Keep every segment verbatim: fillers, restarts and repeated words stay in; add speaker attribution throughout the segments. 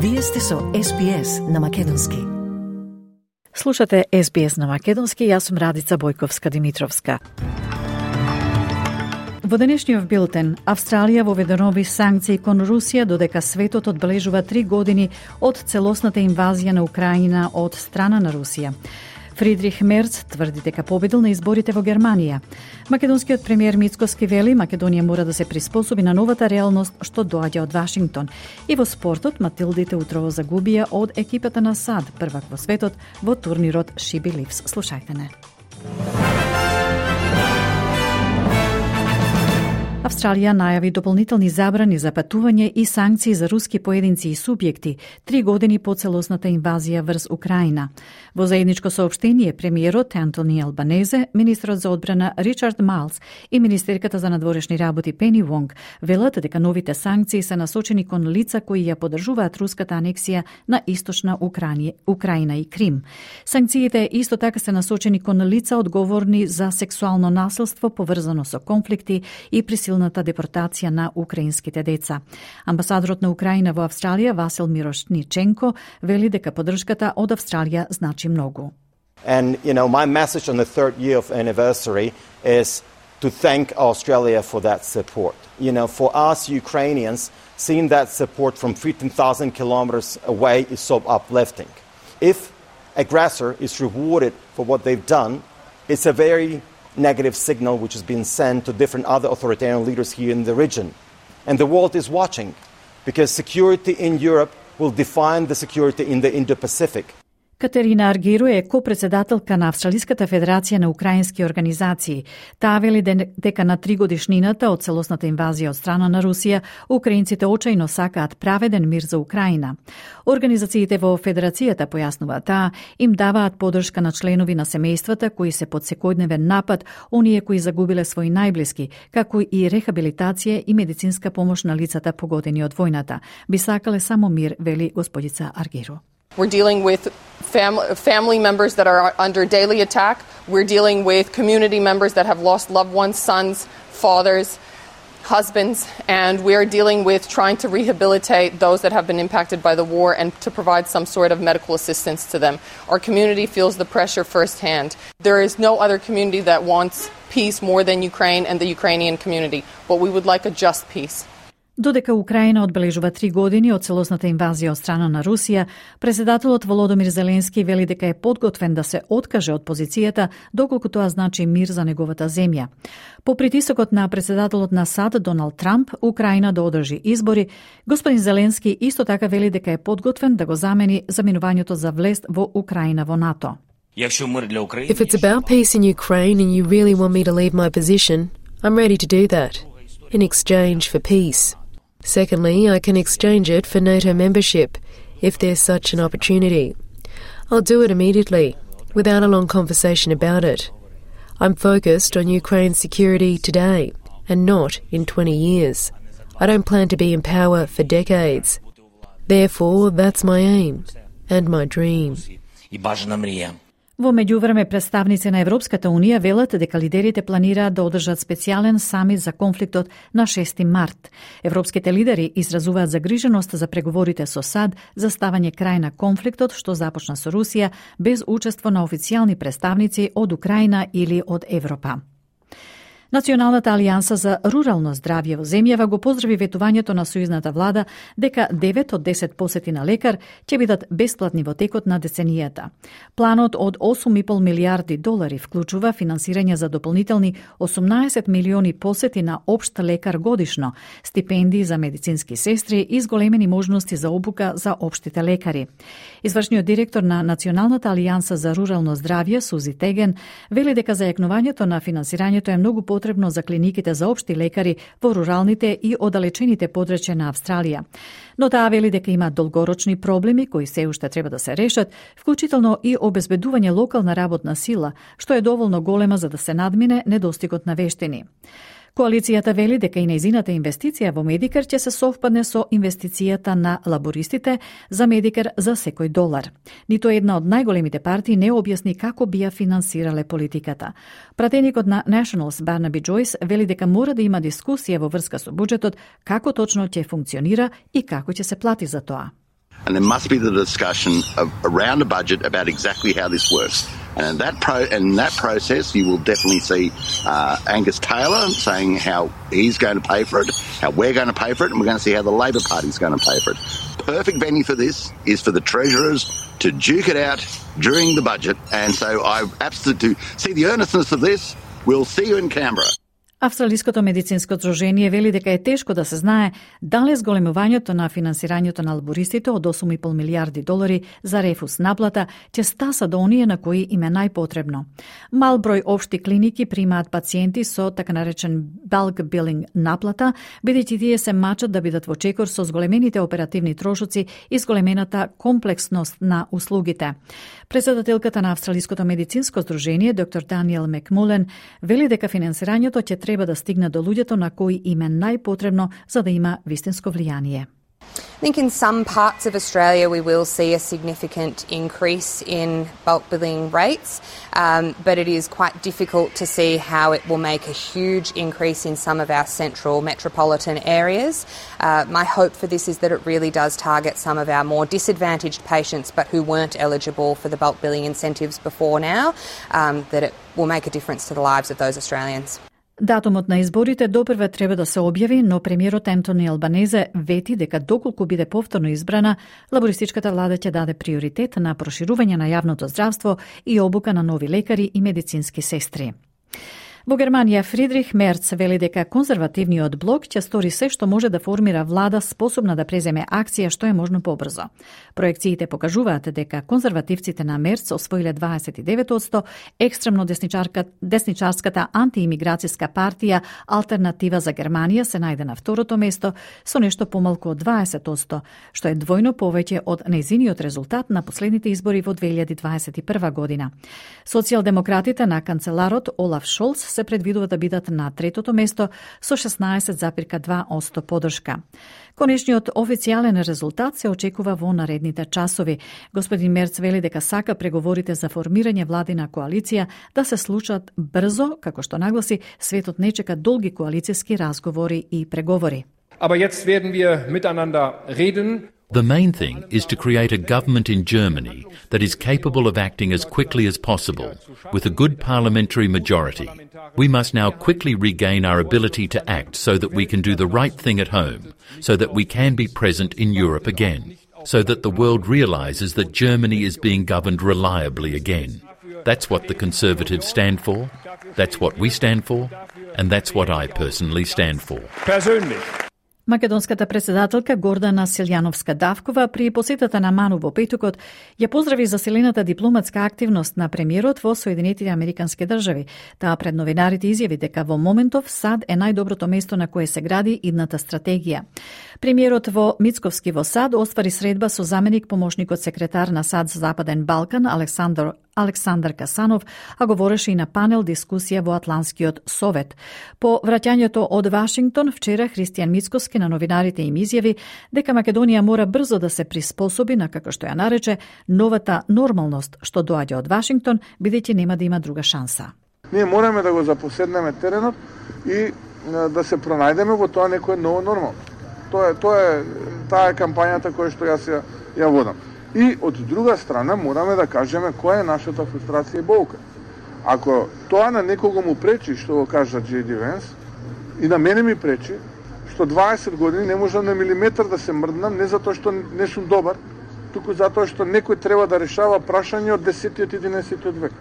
Speaker 1: Вие сте со Ес Би Ес на Македонски.
Speaker 2: Слушате Ес Би Ес на Македонски, јас сум Радица Бојковска-Димитровска. Во денешниот билтен, Австралија воведе нови санкции кон Русија додека светот одбележува три години од целосната инвазија на Украина од страна на Русија. Фридрих Мерц тврди дека победил на изборите во Германија. Македонскиот премиер Мицкоски вели Македонија мора да се приспособи на новата реалност што доаѓа од Вашингтон. И во спортот Матилдите утрово загубија од екипата на САД, првак во светот во турнирот She Believes. Слушајте не. Австралија најави дополнителни забрани за патување и санкции за руски поединци и субјекти три години по целосната инвазија врз Украина. Во заедничко соопштение, премиерот Антони Албанезе, министрот за одбрана Ричард Майлс и министерката за надворешни работи Пени Вонг велат дека новите санкции се насочени кон лица кои ја поддржуваат руската анексија на источна Украина, Украина и Крим. Санкциите исто така се насочени кон лица одговорни за сексуално насилство поврзано со конфликти и присилната депортација на украинските деца. Амбасадорот на Украина во Австралија Васил Мирошниченко вели дека поддршката од Австралија значи многу.
Speaker 3: And you know, my message on the third year of anniversary is to thank Australia for that support. You know, for us Ukrainians, seeing that support from fifteen thousand kilometers away is so uplifting. If aggressor is rewarded for what they've done, it's a very negative signal which has been sent to different other authoritarian leaders here in the region. And the world is watching, because security in Europe will define the security in the Indo-Pacific.
Speaker 2: Катерина Аргиро е ко-председателка на Австралиската федерација на украински организации. Таа вели дека на тригодишнината од целосната инвазија од страна на Русија, украинците очајно сакаат праведен мир за Украина. Организациите во федерацијата, појаснува таа, им даваат поддршка на членови на семејствата кои се под секојдневен напад, оние кои загубиле своји најблиски, како и рехабилитација и медицинска помош на лицата погодени од војната. Би сакале само мир, вели господица Аргиро.
Speaker 4: We're dealing with fam- family members that are under daily attack. We're dealing with community members that have lost loved ones, sons, fathers, husbands, and we're dealing with trying to rehabilitate those that have been impacted by the war and to provide some sort of medical assistance to them. Our community feels the pressure firsthand. There is no other community that wants peace more than Ukraine and the Ukrainian community, but we would like a just peace.
Speaker 2: Додека Украина одбележува три години од целосната инвазија од страна на Русија, председателот Володомир Зеленски вели дека е подготвен да се откаже од позицијата доколку тоа значи мир за неговата земја. По притисокот на председателот на САД Доналд Трамп, Украина да одржи избори, господин Зеленски исто така вели дека е подготвен да го замени заминувањето за влест во Украина во НАТО.
Speaker 5: If it's about peace in Ukraine and you really want me to leave my position, I'm ready to do that, in exchange for peace. Secondly, I can exchange it for NATO membership, if there's such an opportunity. I'll do it immediately, without a long conversation about it. I'm focused on Ukraine's security today, and not in twenty years. I don't plan to be in power for decades. Therefore, that's my aim, and my dream.
Speaker 2: Во меѓувреме, представници на Европската Унија велат дека лидерите планираат да одржат специјален самит за конфликтот на шести март. Европските лидери изразуваат загриженост за преговорите со САД за ставање крај на конфликтот што започна со Русија без учество на официјални представници од Украина или од Европа. Националната алијанса за рурално здравје во земјава го поздрави ветувањето на сојузната влада дека девет од десет посети на лекар ќе бидат бесплатни во текот на деценијата. Планот од осум и пол милијарди долари вклучува финансирање за дополнителни осумнаесет милиони посети на општ лекар годишно, стипендии за медицински сестри и зголемени можности за обука за општите лекари. Извршниот директор на Националната алијанса за рурално здравје Сузи Теген вели дека зајакнувањето на финансирањето е многу потребно за клиниките за општи лекари во руралните и оддалечените подрачја на Австралија. Но таа вели дека има долгорочни проблеми кои се уште треба да се решат, вклучително и обезбедување локална работна сила, што е доволно голема за да се надмине недостигот на вештини. Коалицијата вели дека и нејзината инвестиција во Медикер ќе се совпадне со инвестицијата на лабористите за Медикер за секој долар. Нито една од најголемите партии не објасни како би ја финансирале политиката. Пратеникот на Nationals Барнаби Джойс вели дека мора да има дискусија во врска со буџетот, како точно ќе функционира и како ќе се плати за тоа.
Speaker 6: and there must be the discussion of, around a budget about exactly how this works. And in that, pro, in that process, you will definitely see uh, Angus Taylor saying how he's going to pay for it, how we're going to pay for it, and we're going to see how the Labor Party is going to pay for it. Perfect venue for this is for the Treasurers to duke it out during the budget. And so I absolutely see the earnestness of this. We'll see you in Canberra.
Speaker 2: Австралиското медицинско здружение вели дека е тешко да се знае дали зголемувањето на финансирањето на лабористите од осум и пол милијарди долари за рефус наплата ќе стаса до оние на кои им е најпотребно. Мал број општи клиники примаат пациенти со така наречен bulk billing наплата, бидејќи тие се мачат да бидат во чекор со зголемените оперативни трошоци и зголемената комплексност на услугите. Председателката на Австралиското медицинско здружение, доктор Даниел Макмулен, вели дека финансирањето ќе треба да стигне до луѓето на кои им е најпотребно за да има вистинско влијание.
Speaker 7: I think in some parts of Australia we will see a significant increase in bulk billing rates, um, but it is quite difficult to see how it will make a huge increase in some of our central metropolitan areas. Uh, my hope for this is that it really does target some of our more disadvantaged patients but who weren't eligible for the bulk billing incentives before now, um, that it will make a difference to the lives of those Australians.
Speaker 2: Датумот на изборите допрва треба да се објави, но премиерот Ентони Албанезе вети дека доколку биде повторно избрана, лабористичката влада ќе даде приоритет на проширување на јавното здравство и обука на нови лекари и медицински сестри. Во Германија Фридрих Мерц вели дека конзервативниот блок ќе стори се што може да формира влада способна да преземе акција што е можно побрзо. Проекциите покажуваат дека конзервативците на Мерц освоиле дваесет и девет одсто, екстремно десничарка, десничарската антиимиграцијска партија Алтернатива за Германија се најде на второто место со нешто помалку од дваесет одсто, што е двојно повеќе од нејзиниот резултат на последните избори во две илјади дваесет и прва година. Социјалдемократите на канцеларот Олаф Шолц се предвидува да бидат на третото место со шеснаесет запирка два одсто подршка. Конечниот официјален резултат се очекува во наредните часови. Господин Мерц вели дека сака преговорите за формирање владина коалиција да се случат брзо, како што нагласи, светот не чека долги коалицијски разговори и преговори.
Speaker 8: Aber jetzt werden wir miteinander reden.
Speaker 9: The main thing is to create a government in Germany that is capable of acting as quickly as possible, with a good parliamentary majority. We must now quickly regain our ability to act so that we can do the right thing at home, so that we can be present in Europe again, so that the world realises that Germany is being governed reliably again. That's what the Conservatives stand for, that's what we stand for, and that's what I personally stand for.
Speaker 8: Persönlich.
Speaker 2: Македонската председателка Гордана Силјановска-Давкова при посетата на Ману во петокот ја поздрави засилената дипломатска активност на премиерот во Соединетите Американски држави. Таа пред новинарите изјави дека во моментов САД е најдоброто место на кое се гради идната стратегија. Премиерот во Мицковски во САД оствари средба со заменик помошникот секретар на САД за Западен Балкан Александар Александар Касанов, а говореше и на панел дискусија во Атлантскиот совет. По враќањето од Вашингтон, вчера Христијан Мицковски на новинарите им изјави дека Македонија мора брзо да се приспособи на, како што ја нарече, новата нормалност што доаѓа од Вашингтон, бидејќи нема да има друга шанса.
Speaker 10: Ние мораме да го запоседнеме теренот и да се пронајдеме во тоа некое ново нормално. Тоа е, тоа е таа е кампањата која што јас ја, ја водам. И од друга страна мораме да кажеме која е нашата фрустрација и болка. Ако тоа на некого му пречи, што го кажа Джей Ди Венс, и на мене ми пречи, што дваесет години не можам на милиметар да се мрднам, не затоа што не сум добар, туку затоа што некој треба да решава прашање од десетиот и единаесеттиот век.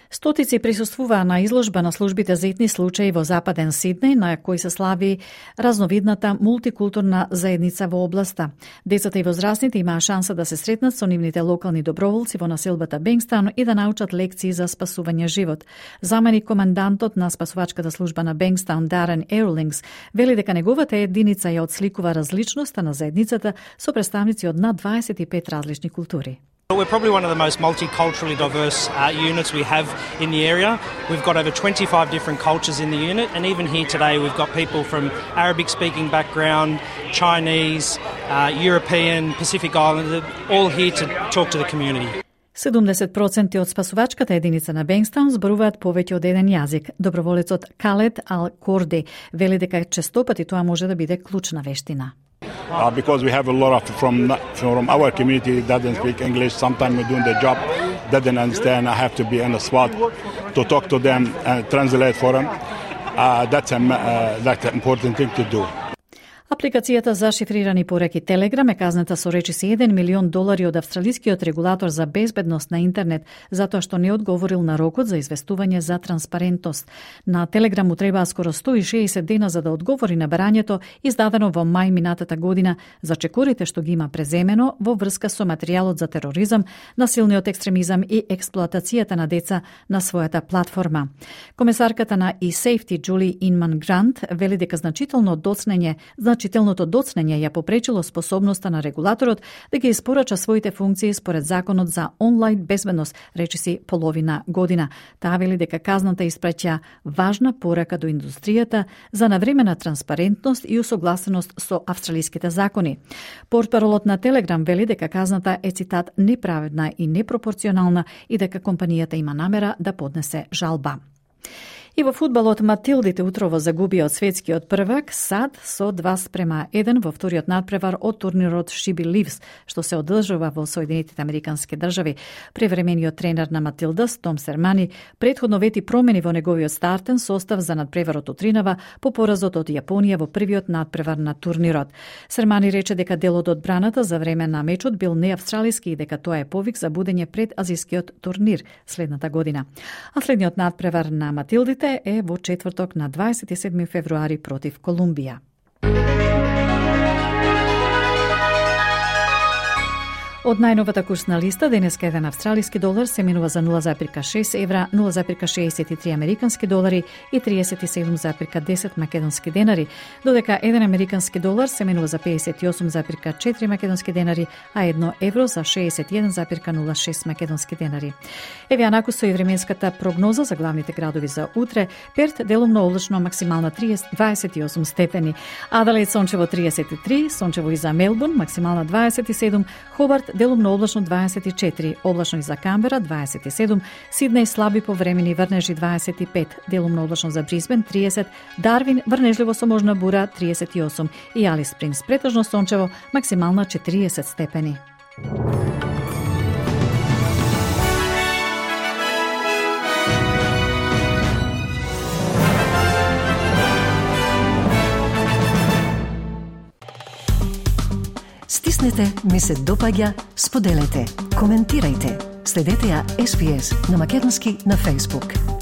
Speaker 2: Стотици присуствуваа на изложба на службите за етни случаи во Западен Сиднеј, на кој се слави разновидната мултикултурна заедница во областа. Децата и возрастните имаа шанса да се сретнат со нивните локални доброволци во населбата Бенгстаун и да научат лекции за спасување живот. Заменик командантот на спасувачката служба на Бенгстаун Дарен Ерлингс вели дека неговата единица ја отсликува различноста на заедницата со представници од над дваесет и пет различни култури.
Speaker 11: We're probably one of the most multiculturally diverse uh, units we have in the area. We've got over twenty-five different cultures in the unit, and even here today we've got people from Arabic-speaking background, Chinese, uh, European, Pacific Islander, all here to talk to the community.
Speaker 2: седумдесет проценти од спасувачката единица на Бенгстаун зборуваат повеќе од еден јазик. Доброволецот Калет Ал Корди вели дека честопати тоа може да биде клучна вештина.
Speaker 12: Uh, because we have a lot of from from our community that doesn't speak English. Sometimes we're doing the job, doesn't understand. I have to be on the spot to talk to them and translate for them. Uh, that's a uh, that's an important thing to do.
Speaker 2: Апликацијата за шифрирани пораки Telegram е казната со речиси еден милион долари од австралискиот регулатор за безбедност на интернет, затоа што не одговорил на рокот за известување за транспарентност. На Telegram му требаа скоро сто и шеесет дена за да одговори на барањето издадено во мај минатата година за чекорите што ги има преземено во врска со материјалот за тероризам, насилниот екстремизам и експлоатацијата на деца на својата платформа. Комесарката на eSafety Джули Инман Грант вели дека значително доцнење Значителното доцнење ја попречило способноста на регулаторот да ги испорача своите функции според законот за онлайн безбедност, речиси половина година. Таа вели дека казната испраќа важна порака до индустријата за навремена транспарентност и усогласеност со австралиските закони. Портпаролот на Telegram вели дека казната е цитат неправедна и непропорционална и дека компанијата има намера да поднесе жалба. И во фудбалот Матилдите утрово загубија од светскиот првак САД со два спрема еден во вториот надпревар од турнирот She Believes, што се одржува во Соединетите Американски држави. Превремениот тренер на Матилдас, Том Сермани, претходно вети промени во неговиот стартен состав за надпреварот утринава по поразот од Јапонија во првиот надпревар на турнирот. Сермани рече дека делот од браната за време на мечот бил неавстралиски и дека тоа е повик за будење пред азискиот турнир следната година. А следниот надпревар на Матилдите е во четврток на дваесет и седми февруари против Колумбија. Од најновата курсна листа, денеска еден австралиски долар се менува за нула зарез шест евра, нула зарез шеесет и три американски долари и триесет и седум зарез десет македонски денари, додека еден американски долар се менува за пеесет и осум зарез четири македонски денари, а едно евро за шеесет и еден зарез нула шест македонски денари. Еве анакусо и временската прогноза за главните градови за утре. Перт делумно облачно, максимална дваесет и осум степени. Аделаид сончево триесет и три, сончево и за Мелбурн, максимална дваесет и седум, Хобарт делумно облачно дваесет и четири, облачно и за Камбера дваесет и седум, Сиднеј слаби повремени врнежи дваесет и пет, делумно облачно за Брисбен триесет, Дарвин врнежливо со можна бура триесет и осум и Алис Спрингс претежно сончево, максимална четириесет степени.
Speaker 1: Стиснете, ми се допаѓа, споделете, коментирајте. Следете ја Ес Би Ес на македонски на Facebook.